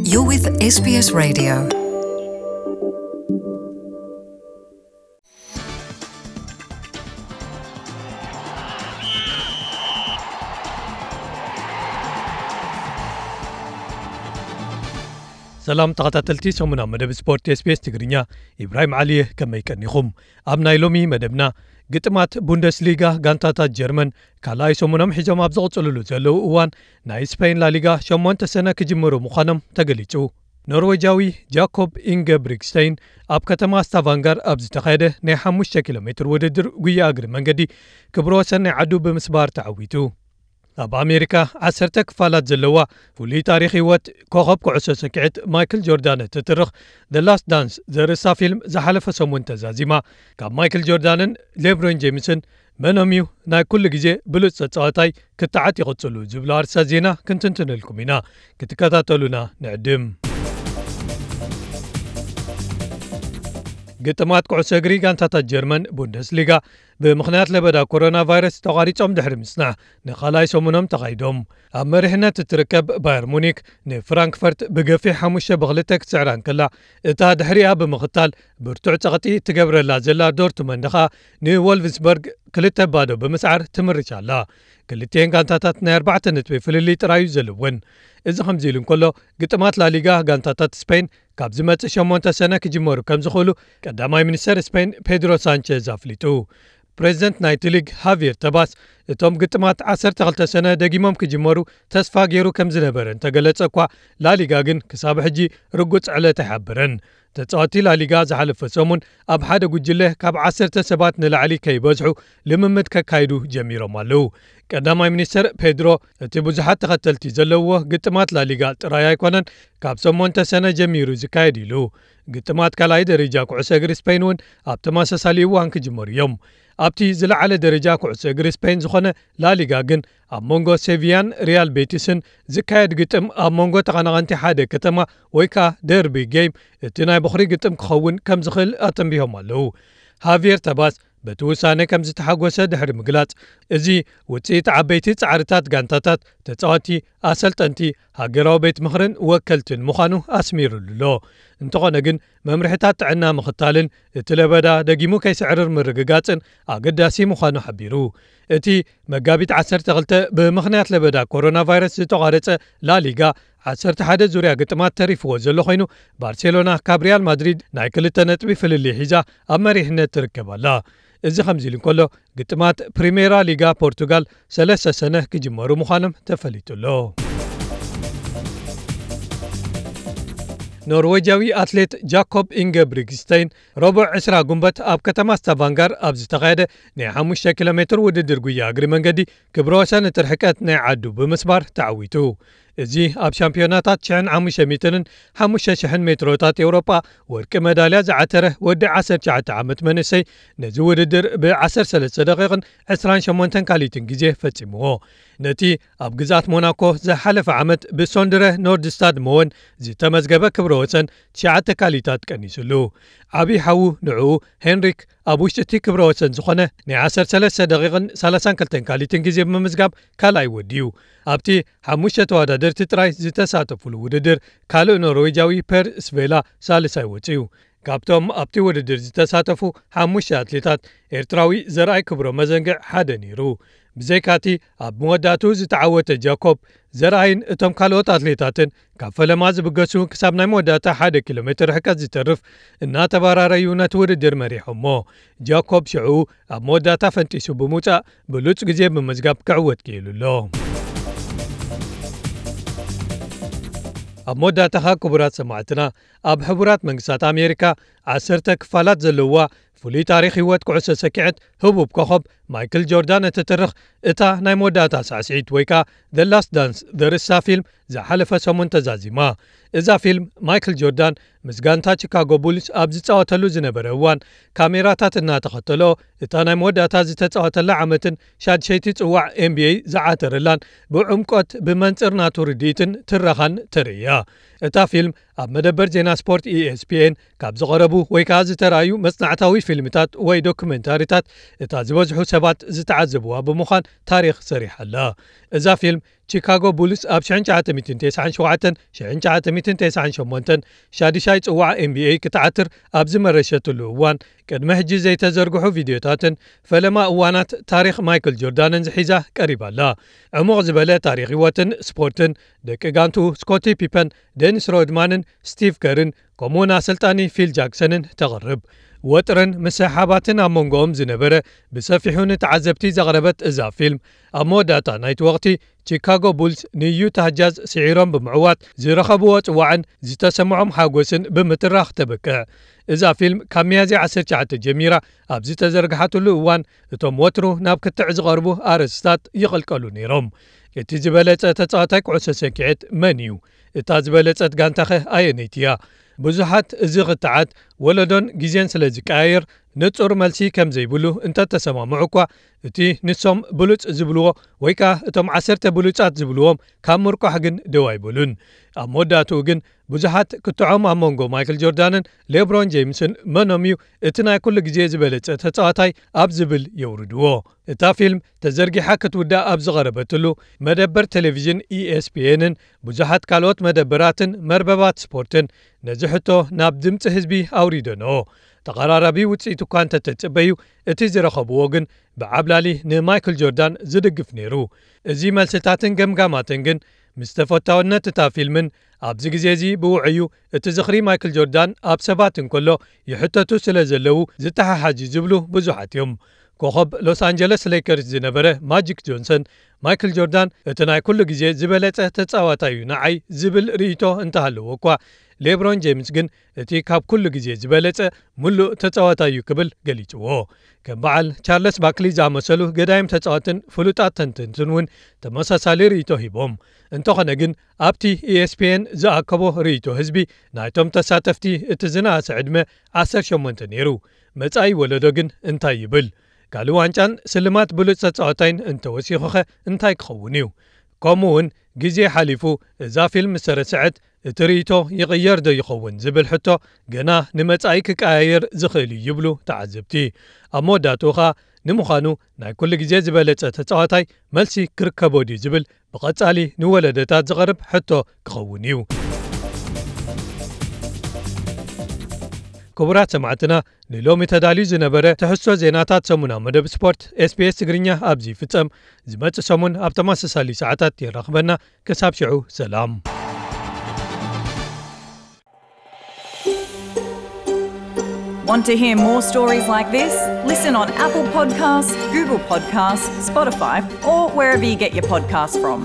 You're with S B S Radio. ሰላም ተኸታተልቲ ሰሙናዊ መደብ ስፖርት ኤስ ቢ ኤስ ትግርኛ፣ ኢብራሂም ዓሊ እየ። ከመይ ቀኒኹም? ኣብ ናይ ሎሚ መደብና፣ ግጥማት ቡንደስሊጋ ጋንታታት ጀርመን ካልኣይ ሰሙኖም ሒዞም ኣብ ዝቕጽልሉ ዘለዉ እዋን፣ ናይ ስፔን ላሊጋ ሸሞንተ ሰነ ክጅምሩ ምዃኖም ተገሊጹ። ኖርዌጃዊ ጃኮብ ኢንገብሪክስተይን ኣብ ከተማ ስታቫንጋር ኣብ ዝተኻየደ ናይ ሓሙሽተ ኪሎ ሜትር ውድድር ጉያ እግሪ መንገዲ ክብረ ወሰን ናይ ዓዱ ብምስባር ተዓዊቱ። ኣብ ኣሜሪካ ዓሰርተ ክፋላት ዘለዋ ፍሉይ ታሪኽ ህይወት ኮኸብ ኩዕሶ ሰኪዐት ማይክል ጆርዳን እትትርኽ The Last Dance ዘርእስታ ፊልም ዝሓለፈ ሰሙን ተዛዚማ። ካብ ማይክል ጆርዳንን ሌብሮን ጄምስን መኖም እዩ ናይ ኩሉ ግዜ ብሉጽ ተጻዋታይ ክተዓት ይቕጽሉ ዝብሉ ኣርእስታት ዜና ክንትንትነልኩም ኢና። ክትከታተሉና ንዕድም። ግጥማት ኩዕሶ እግሪ ጋንታታት ጀርመን ቡንደስሊጋ ብምኽንያት ለበዳ ኮሮና ቫይረስ ተቋሪጾም ድሕሪ ምጽናሕ ንኻልኣይ ሰሙኖም ተኻይዶም። ኣብ መሪሕነት እትርከብ ባየር ሙኒክ ንፍራንክፈርት ብገፊሕ ሓሙሽተ ብክልተ ክትስዕራ እንከላ፣ እታ ድሕሪኣ ብምኽታል ብርቱዕ ጸቕጢ እትገብረላ ዘላ ዶርትመንድ ኸኣ ንወልፍስበርግ ክልተ ባዶ ብምስዓር ትምርሽ ኣላ። ክልቲኤን ጋንታታት ናይ ኣርባዕተ ነጥቢ ፍልልይ ጥራይ እዩ ዘለወን። እዚ ከምዚ ኢሉ እንከሎ፣ ግጥማት ላሊጋ ጋንታታት ስፔን ካብ ዝመጽእ ሸሞንተ ሰነ ክጅመሩ ከም ዝኽእሉ ቀዳማይ ሚኒስተር ስፔን ፔድሮ ሳንቸዝ ኣፍሊጡ። ፕሬዚደንት ናይቲ ሊግ ሃቪየር ተባስ፣ እቶም ግጥማት ዓሰርተ ክልተ ሰነ ደጊሞም ክጅመሩ ተስፋ ገይሩ ከም ዝነበረ እንተገለጸ እኳ፣ ላሊጋ ግን ክሳብ ሕጂ ርጉጽ ዕለት ኣይሓበረን። ተጻወትቲ ላሊጋ ዝሓለፈ ሰሙን ኣብ ሓደ ጉጅለ ካብ ዓሰርተ ሰባት ንላዕሊ ከይበዝሑ ልምምድ ከካይዱ ጀሚሮም ኣለዉ። ቀዳማይ ሚኒስተር ፔድሮ፣ እቲ ብዙሓት ተኸተልቲ ዘለዎ ግጥማት ላሊጋ ጥራይ ኣይኮነን ካብ ሸሞንተ ሰነ ጀሚሩ ዝካየድ ኢሉ። ግጥማት ካልኣይ ደረጃ ኩዕሶ እግሪ ስፔን እውን ኣብ ተመሳሳሊ እዋን ክጅመሩ እዮም። ኣብቲ ዝለዓለ ደረጃ ኩዕሶ እግሪ ስፔን ዝኾነ ላሊጋ ግን፣ ኣብ መንጎ ሴቪያን ሪያል ቤቲስን ዝካየድ ግጥም፣ ኣብ መንጎ ተቐናቐንቲ ሓደ ከተማ ወይ ከኣ ደርቢ ጌም፣ እቲ ናይ በኹሪ ግጥም ክኸውን ከም ዝኽእል ኣተንቢሆም ኣለዉ። ሃቪየር ተባስ በቲ ውሳነ ከም ዝተሓጎሰ ድሕሪ ምግላጽ፣ እዚ ውጽኢት ዓበይቲ ጻዕርታት ጋንታታት፣ ተጻወትቲ፣ ኣሰልጠንቲ፣ ሃገራዊ ቤት ምኽርን ወከልትን ምዃኑ ኣስሚሩሉ ኣሎ። እንተኾነ ግን፣ መምርሕታት ጥዕና ምኽታልን እቲ ለበዳ ደጊሙ ከይስዕርር ምርግጋጽን ኣገዳሲ ምዃኑ ሓቢሩ። እቲ መጋቢት ዓሰርተ ክልተ ብምኽንያት ለበዳ ኮሮና ቫይረስ ዝተቋረጸ ላሊጋ፣ ዓሰርተ ሓደ ዙርያ ግጥማት ተሪፍዎ ዘሎ ኮይኑ፣ ባርሴሎና ካብ ሪያል ማድሪድ ናይ ክልተ ነጥቢ ፍልልይ ሒዛ ኣብ መሪሕነት ትርከብ ኣላ። እዚ ከምዚ ኢሉ እንከሎ፣ ግጥማት ፕሪሜራ ሊጋ ፖርቱጋል ሰለስተ ሰነ ክጅመሩ ምዃኖም ተፈሊጡ ኣሎ። ኖርዌጃዊ ኣትሌት ጃኮብ ኢንገብሪግስተይን ረቡዕ ዕስራ ጉንበት ኣብ ከተማ ስታቫንጋር ኣብ ዝተኻየደ ናይ ሓሙሽተ ኪሎ ሜትር ውድድር ጉያ እግሪ መንገዲ ክብረ ወሰን እቲ ርሕቀት ናይ ዓዱ ብምስባር ተዓዊቱ። እዚ ኣብ ሻምፒዮናታት ሽሕን ሓሙሽተ ሚእትን ሓሙሽተ ሽሕን ሜትሮታት ኤውሮጳ ወርቂ መዳልያ ዝዓተረ ወዲ ዓሰርተ ትሽዓተ ዓመት መንእሰይ፣ ነዚ ውድድር ብ ዓሰርተ ሰለስተ ደቂቕን ዕስራን ሸሞንተን ካሊትን ግዜ ፈጺምዎ። ነቲ ኣብ ግዝኣት ሞናኮ ዝሓለፈ ዓመት ብሶንድረ ኖርድስታድ መወን ዝተመዝገበ ክብረ ወሰን ትሽዓተ ካሊታት ቀኒሱሉ። ዓቢ ሓዉ ንዕኡ ሄንሪክ ኣብ ውሽጢ እቲ ክብረ ወሰን ዝኾነ ናይ ዓሰርተ ሰለስተ ደቂቕን ሰላሳን ክልተን ካሊትን ግዜ ብምምዝጋብ ካልኣይ ወዲዩ። ኣብቲ ሓሙሽተ ተወዳደርቲ ጥራይ ዝተሳተፉሉ ውድድር፣ ካልእ ኖርዌጃዊ ፐር ስቬላ ሳልሳይ ወጺኡ። ካብቶም ኣብቲ ውድድር ዝተሳተፉ ሓሙሽተ ኣትሌታት፣ ኤርትራዊ ዘርኣይ ክብሮ መዘንግዕ ሓደ ነይሩ። ብዘይካቲ ኣብ መወዳእትኡ ዝተዓወተ ጃኮብ፣ ዘርኣይን እቶም ካልኦት ኣትሌታትን ካብ ፈለማ ዝብገሱ ክሳብ ናይ መወዳእታ ሓደ ኪሎ ሜትር ርሕቀት ዝተርፍ እናተበራረዩ ነቲ ውድድር መሪሖሞ። ጃኮብ ሽዑ ኣብ መወዳእታ ፈንጢሱ ብምውጻእ ብሉጽ ግዜ ብምምዝጋብ ክዕወት ክኢሉ ኣሎ። ኣብ መወዳእታ ኸኣ ክቡራት ሰማዕትና፣ ኣብ ሕቡራት መንግስታት ኣሜሪካ ዓሰርተ ክፋላት ዘለዋ ፍሉይ ታሪኽ ህይወት ኩዕሶ ሰኪዐት ህቡብ ኮኸብ ማይክል ጆርዳን እትትርኽ እታ ናይ መወዳእታ ሳዕስዒት ወይ ከኣ The Last Dance ዘርእስታ ፊልም ዝሓለፈ ሰሙን ተዛዚማ። እዛ ፊልም ማይክል ጆርዳን ምስ ጋንታ ቺካጎ ቡልስ ኣብ ዝጻወተሉ ዝነበረ እዋን ካሜራታት እናተኸተሎ እታ ናይ መወዳእታ ዝተጻወተላ ዓመትን ሻድሸይቲ ጽዋዕ ኤን ቢ ኤ ዝዓተረላን ብዕምቆት ብመንጽር ናቱ ርድኢትን ትረኻን ተርእያ። እታ ፊልም ኣብ መደበር ዜና ስፖርት ኢ ኤስ ፒ ኤን ካብ ዝቐረቡ ወይ ከኣ ዝተራእዩ መጽናዕታዊ ፊልምታት ወይ ዶክመንታሪታት እታ ዝበዝሑ ሰባት ዝተዓዘብዋ ብምዃን ታሪኽ ሰሪሓ ኣላ። እዛ ፊልም ቺካጎ ቡልስ ኣብ ሽሕን ትሽዓተ ሚእትን ተስዓን ሸውዓተን፣ ሽሕን ትሽዓተ ሚእትን ተስዓን ሸሞንተን ሻድሻይ ጽዋዕ ኤን ቢ ኤ ክትዓትር ኣብ ዝመረሸትሉ እዋን፣ ቅድሚ ሕጂ ዘይተዘርግሑ ቪድዮታትን ፈለማ እዋናት ታሪኽ ማይክል ጆርዳንን ዝሒዛ ቀሪባ ኣላ። ዕሙቕ ዝበለ ታሪኽ ህይወትን ስፖርትን ደቂ ጋንቱ ስኮቲ ፒፐን፣ ደኒስ ሮድማንን ስቲቭ ከርን፣ ከምኡውን ኣሰልጣኒ ፊል ጃክሰንን ተቕርብ። ወጥርን ምስሕሓባትን ኣብ መንጎኦም ዝነበረ ብሰፊሑ ንተዓዘብቲ ዘቕረበት እዛ ፊልም፣ ኣብ መወዳእታ ናይቲ ወቕቲ ቺካጎ ቡልስ ንዩታ ጃዝ ስዒሮም ብምዕዋት ዝረኸብዎ ጽዋዕን ዝተሰምዖም ሓጎስን ብምትራኽ ተበቅዕ። እዛ ፊልም ካብ ሚያዝያ ዓሰርተ ትሽዓተ ጀሚራ ኣብ ዝተዘርግሓትሉ እዋን፣ እቶም ወትሩ ናብ ክትዕ ዝቐርቡ ኣርእስታት ይቕልቀሉ ነይሮም። እቲ ዝበለጸ ተጻዋታይ ኩዕሶ ሰኪዐት መን እዩ? እታ ዝበለጸት ጋንታኸ ኣየነይቲ እያ? ብዙሓት እዚ ክትዓት ወለዶን ግዜን ስለ ዝቀያየር ንጹር መልሲ ከም ዘይብሉ እንተተሰማምዑ እኳ፣ እቲ ንሶም ብሉጽ ዝብልዎ ወይ ከኣ እቶም ዓሰርተ ብሉጻት ዝብልዎም ካብ ምርቋሕ ግን ደው ኣይበሉን። ኣብ መወዳእትኡ ግን ብዙሓት ክትዖም ኣብ መንጎ ማይክል ጆርዳንን ሌብሮን ጄምስን መኖም እዩ እቲ ናይ ኩሉ ግዜ ዝበለጸ ተጻዋታይ ኣብ ዝብል የውርድዎ። እታ ፊልም ተዘርጊሓ ክትውዳእ ኣብ ዝቐረበትሉ፣ መደበር ቴሌቪዥን ኢ ኤስ ፒ ኤንን ብዙሓት ካልኦት መደበራትን መርበባት ስፖርትን ነዚ ሕቶ ናብ ድምጺ ህዝቢ ኣውሪደንኦ። ተቐራራቢ ውጽኢት እኳ እንተተጽበዩ፣ እቲ ዝረኸብዎ ግን ብዓብላሊ ንማይክል ጆርዳን ዝድግፍ ነይሩ። እዚ መልስታትን ገምጋማትን ግን ምስ ተፈታውነት እታ ፊልምን ኣብዚ ግዜ እዚ ብውዕዩ እቲ ዝኽሪ ማይክል ጆርዳን ኣብ ሰባት እንከሎ ይሕተቱ ስለ ዘለዉ ዝተሓሓዝ እዩ ዝብሉ ብዙሓት እዮም። ኮኸብ ሎስ ኣንጀለስ ሌከርስ ዝነበረ ማጂክ ጆንሰን፣ ማይክል ጆርዳን እቲ ናይ ኩሉ ግዜ ዝበለጸ ተጻዋታይ እዩ ንዓይ ዝብል ርእይቶ እንተሃለዎ እኳ፣ ሌብሮን ጄምስ ግን እቲ ካብ ኩሉ ግዜ ዝበለጸ ምሉእ ተጻዋታይ እዩ ክብል ገሊጽዎ። ከም በዓል ቻርለስ ባክሊ ዝኣመሰሉ ገዳይም ተጻወትን ፍሉጣት ተንተንትን እውን ተመሳሳሊ ርእይቶ ሂቦም። እንተኾነ ግን ኣብቲ ኢ ኤስ ፒ ኤን ዝኣከቦ ርእይቶ ህዝቢ ናይቶም ተሳተፍቲ እቲ ዝነኣሰ ዕድመ ዓሰርተ ሸሞንተ ነይሩ። መጻኢ ወለዶ ግን እንታይ ይብል? ካልእ ዋንጫን ስልማት ብሉጽ ተጻዋታይን እንተወሲኹኸ እንታይ ክኸውን እዩ? ከምኡ እውን ግዜ ሓሊፉ እዛ ፊልም ዝተረስዐት እቲ ርእይቶ ይቕየር ዶ ይኸውን ዝብል ሕቶ ገና ንመጻኢ ክቀያየር ዝኽእል እዩ ይብሉ ተዓዘብቲ። ኣብ መወዳእትኡ ኸኣ ንምዃኑ ናይ ኩሉ ግዜ ዝበለጸ ተጻዋታይ መልሲ ክርከቦ ድዩ ዝብል ብቐጻሊ ንወለደታት ዝቐርብ ሕቶ ክኸውን እዩ። ክቡራት ሰማዕትና፣ ንሎሚ ተዳልዩ ዝነበረ ትሕዝቶ ዜናታት ሰሙናዊ መደብ ስፖርት ኤስ ቢ ኤስ ትግርኛ ኣብዚ ይፍጸም። ዝመጽእ ሰሙን ኣብ ተመሳሳሊ ሰዓታት የራኽበና። ክሳብ ሽዑ ሰላም። Want to hear more stories like this? Listen on Apple Podcasts, Google Podcasts, Spotify, or wherever you get your podcasts from.